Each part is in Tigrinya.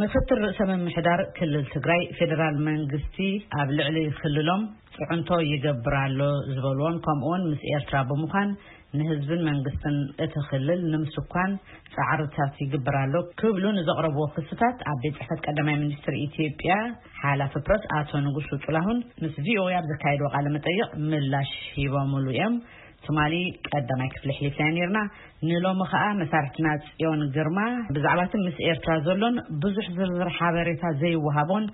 ምክትል ርእሰ ምምሕዳር ክልል ትግራይ፣ ፌዴራል መንግስቲ ኣብ ልዕሊ ክልሎም ፅዕንቶ ይገብር ኣሎ ዝበልዎን፣ ከምኡውን ምስ ኤርትራ ብምዃን ንህዝብን መንግስትን እቲ ክልል ንምስኳን ፃዕርታት ይግበር ኣሎ ክብሉ ንዘቕረብዎ ክስታት፣ ኣብ ቤት ጽሕፈት ቀዳማይ ሚኒስትር ኢትዮጵያ ሓላፊ ፕረስ ኣቶ ንጉሱ ጥላሁን ምስ ቪ ኦ ኤ ኣብ ዘካየድዎ ቃለ መጠይቕ ምላሽ ሂቦምሉ እዮም። ትማሊ ቀዳማይ ክፍሊ ኣሕሊፍናዮ ነይርና። ንሎሚ ኸኣ መሳርሕትና ጽዮን ግርማ ብዛዕባ እቲ ምስ ኤርትራ ዘሎን ብዙሕ ዝርዝር ሓበሬታ ዘይወሃቦን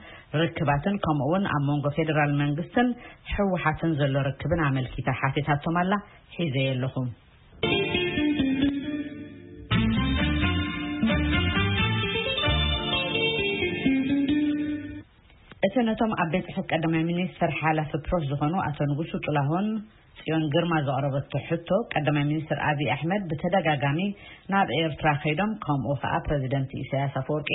ርክባትን፣ ከምኡ እውን ኣብ መንጎ ፌዴራል መንግስትን ህወሓትን ዘሎ ርክብን ኣመልኪታ ሓቲታቶም ኣላ። ሒዘ የለኹም። እቲ ነቶም ኣብ ቤት ጽሕፈት ቀዳማይ ሚኒስትር ሓላፊ ፕረስ ዝኾኑ ኣቶ ንጉሱ ጥላሁን ጽዮን ግርማ ዘቕረበቶ ሕቶ፣ ቀዳማይ ሚኒስትር ኣብይ ኣሕመድ ብተደጋጋሚ ናብ ኤርትራ ከይዶም፣ ከምኡ ኸኣ ፕረዚደንት ኢሳያስ ኣፈወርቂ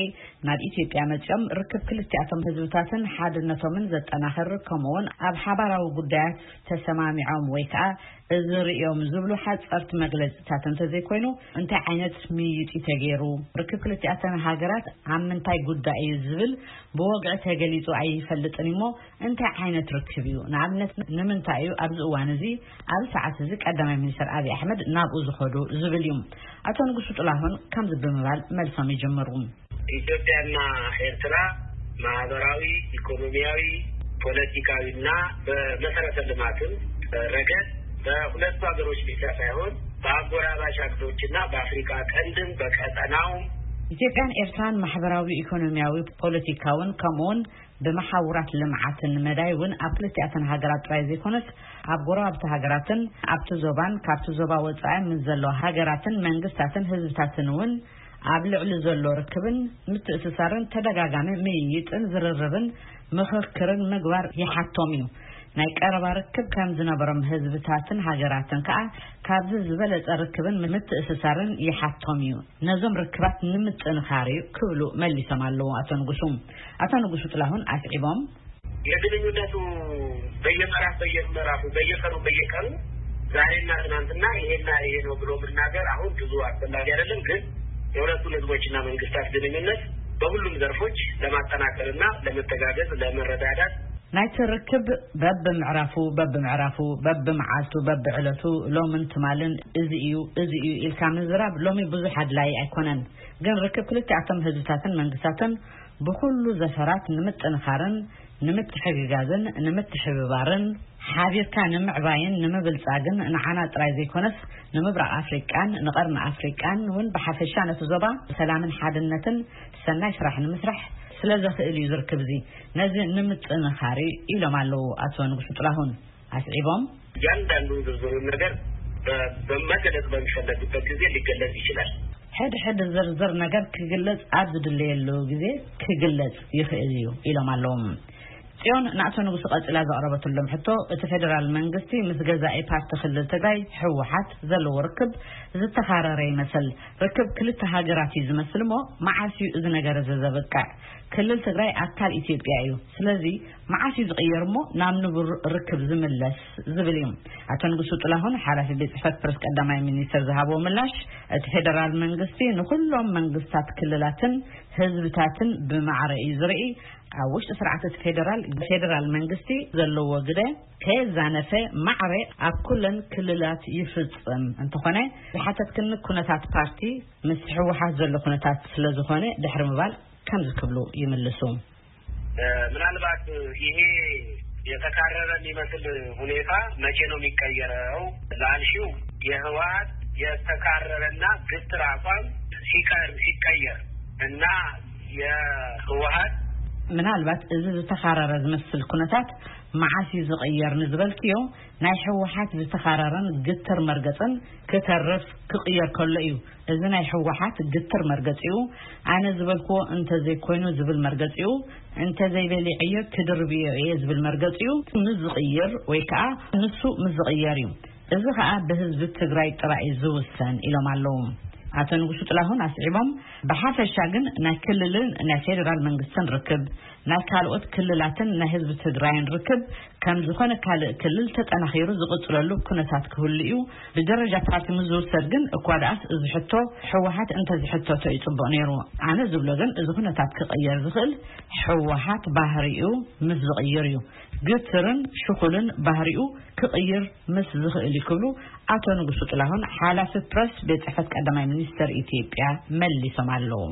ናብ ኢትዮጵያ መጺኦም ርክብ ክልቲኣቶም ህዝብታትን ሓድነቶምን ዘጠናኽር፣ ከምኡውን ኣብ ሓባራዊ ጉዳያት ተሰማሚዖም ወይ ከኣ እዚ ርእዮም ዝብሉ ሓጸርቲ መግለጺታት እንተዘይኮይኑ፣ እንታይ ዓይነት ምይይጥ እዩ ተገይሩ? ርክብ ክልቲኣተን ሃገራት ኣብ ምንታይ ጉዳይ እዩ ዝብል ብወግዒ ተገሊጹ ኣይፈልጥን እሞ፣ እንታይ ዓይነት ርክብ እዩ? ንኣብነት፣ ንምንታይ እዩ ኣብዚ እዋን እዚ፣ ኣብዚ ሰዓት እዚ ቀዳማይ ሚኒስትር ኣብይ ኣሕመድ ናብኡ ዝኸዱ ዝብል እዩ። ኣቶ ንጉሱ ጥላሁን ከምዚ ብምባል መልሶም ይጅምሩ። ኢትዮጵያና ኤርትራ ማህበራዊ፣ ኢኮኖሚያዊ፣ ፖለቲካዊና በመሰረተ ልማትም ረገድ በሁለቱ ሀገሮች ብቻ ሳይሆን በአጎራባች ሀገሮችና በአፍሪካ ቀንድም በቀጠናውም ኢትዮጵያን ኤርትራን ማሕበራዊ፣ ኢኮኖሚያዊ፣ ፖለቲካውን ከምኡውን ብመሓውራት ልምዓትን መዳይ እውን ኣብ ክልቲኣተን ሃገራት ጥራይ ዘይኮነስ ኣብ ጎረባብቲ ሃገራትን ኣብቲ ዞባን ካብቲ ዞባ ወጻኢ ምስ ዘለዋ ሃገራትን መንግስታትን ህዝብታትን እውን ኣብ ልዕሊ ዘሎ ርክብን ምትእስሳርን ተደጋጋሚ ምይይጥን ዝርርብን ምኽክርን ምግባር ይሓቶም እዩ። ናይ ቀረባ ርክብ ከም ዝነበሮም ህዝብታትን ሃገራትን ከኣ ካብዚ ዝበለጸ ርክብን ምትእስሳርን ይሓቶም እዩ። ነዞም ርክባት ንምጥንኻር እዩ ክብሉ መሊሶም ኣለዉ ኣቶ ንጉሱ። ኣቶ ንጉሱ ጥላሁን ኣስዒቦም፣ የግንኙነቱ በየምዕራፍ በየምዕራፉ በየቀኑ በየቀኑ ዛሬና ትናንትና ይሄና ይሄ ነው ብሎ መናገር አሁን ብዙ አስፈላጊ አይደለም። ግን የሁለቱን ህዝቦችና መንግስታት ግንኙነት በሁሉም ዘርፎች ለማጠናከርና ለመተጋገዝ፣ ለመረዳዳት ናይቲ ርክብ በብምዕራፉ በብምዕራፉ በብመዓልቱ በብዕለቱ ሎምን ትማልን እዚ እዩ እዚ እዩ ኢልካ ምዝራብ ሎሚ ብዙሕ ኣድላዪ ኣይኮነን። ግን ርክብ ክልቲኣቶም ህዝብታትን መንግስታትን ብኹሉ ዘፈራት ንምጥንኻርን ንምትሕግጋዝን ንምትሕብባርን ሓቢርካ ንምዕባይን ንምብልጻግን ንዓና ጥራይ ዘይኮነስ ንምብራቕ ኣፍሪቃን ንቐርኒ ኣፍሪቃን እውን ብሓፈሻ ነቲ ዞባ ሰላምን ሓድነትን ሰናይ ስራሕ ንምስራሕ ስለ ዘኽእል እዩ ዝርክብ እዚ። ነዚ ንምጥንኻር እዩ ኢሎም ኣለዉ ኣቶ ንጉሱ ጥላሁን ኣስዒቦም። እያንዳንዱ ዝርዝሩን ነገር በ-፣ በመገለጽ በሚፈለግበት ጊዜ ሊገለጽ ይችላል። ሕድ ሕድ ዝርዝር ነገር ክግለጽ ኣብ ዝድለየሉ ግዜ ክግለጽ ይኽእል እዩ ኢሎም ኣለዉ። ጽዮን ንኣቶ ንጉሱ ቀጺላ ዘቕረበትሎም ሕቶ፣ እቲ ፌደራል መንግስቲ ምስ ገዛኢ ፓርቲ ክልል ትግራይ ህወሓት ዘለዎ ርክብ ዝተኻረረ ይመስል። ርክብ ክልተ ሃገራት እዩ ዝመስል እሞ መዓስ እዩ እዚ ነገር እዚ ዘብቅዕ? ክልል ትግራይ ኣካል ኢትዮጵያ እዩ። ስለዚ መዓስ እዩ ዝቕየር እሞ ናብ ንቡር ርክብ ዝምለስ ዝብል እዩ። ኣቶ ንጉሱ ጥላሁን ሓላፊ ቤት ጽሕፈት ፕረስ ቀዳማይ ሚኒስትር ዝሃቦ ምላሽ፣ እቲ ፌደራል መንግስቲ ንኹሎም መንግስታት ክልላትን ህዝብታትን ብማዕረ እዩ ዝርኢ። ኣብ ውሽጢ ስርዓት እቲ ፌደራል፣ ፌደራል መንግስቲ ዘለዎ ግደ ከየዛነፈ ማዕረ ኣብ ኩለን ክልላት ይፍጽም። እንተኾነ ዝሓተትክኒ ኩነታት ፓርቲ ምስ ህወሓት ዘሎ ኩነታት ስለ ዝኾነ ድሕሪ ምባል ከምዚ ክብሉ ይምልሱ። እ፣ ምናልባት ይሄ የተካረረ የሚመስል ሁኔታ መቼ ነው የሚቀየረው ላልሽው፣ የህወሓት የተካረረና ግትር አቋም ሲቀር-፣ ሲቀየር እና የህወሓት ምናልባት እዚ ዝተኻረረ ዝመስል ኩነታት መዓስ እዩ ዝቕየር ንዝበልክዮ፣ ናይ ህወሓት ዝተኻረረን ግትር መርገጽን ክተርፍ ክቕየር ከሎ እዩ። እዚ ናይ ህወሓት ግትር መርገጺኡ፣ ኣነ ዝበልክዎ እንተዘይኮይኑ ዝብል መርገጺኡ፣ እንተዘይበሊዐዮ ክድርብዮ እየ ዝብል መርገጺኡ ምስ ዝቕይር ወይ ከኣ ንሱ ምስ ዝቕየር እዩ። እዚ ከኣ ብህዝቢ ትግራይ ጥራይ እዩ ዝውሰን ኢሎም ኣለዉ። ኣቶ ንጉሱ ጥላሁን ኣስዒቦም፣ ብሓፈሻ ግን ናይ ክልልን ናይ ፌዴራል መንግስትን ርክብ፣ ናይ ካልኦት ክልላትን ናይ ህዝቢ ትግራይን ርክብ ከም ዝኾነ ካልእ ክልል ተጠናኺሩ ዝቕፅለሉ ኩነታት ክህሉ እዩ። ብደረጃ ፓርቲ ምስ ዝውሰድ ግን እኳ ደኣስ እዚ ሕቶ ህወሓት እንተዝሕተቶ ይፅቡቕ ነይሩ። ኣነ ዝብሎ ግን እዚ ኩነታት ክቕየር ዝኽእል ህወሓት ባህሪኡ ምስ ዝቕይር እዩ። ግትርን ሽኹልን ባህሪኡ ክቕይር ምስ ዝኽእል እዩ ክብሉ ኣቶ ንጉሱ ጥላሁን ሓላፊ ፕረስ ቤት ፅሕፈት ቀዳማይ ሚኒስተር ኢትዮጵያ መሊሶም ኣለዉ።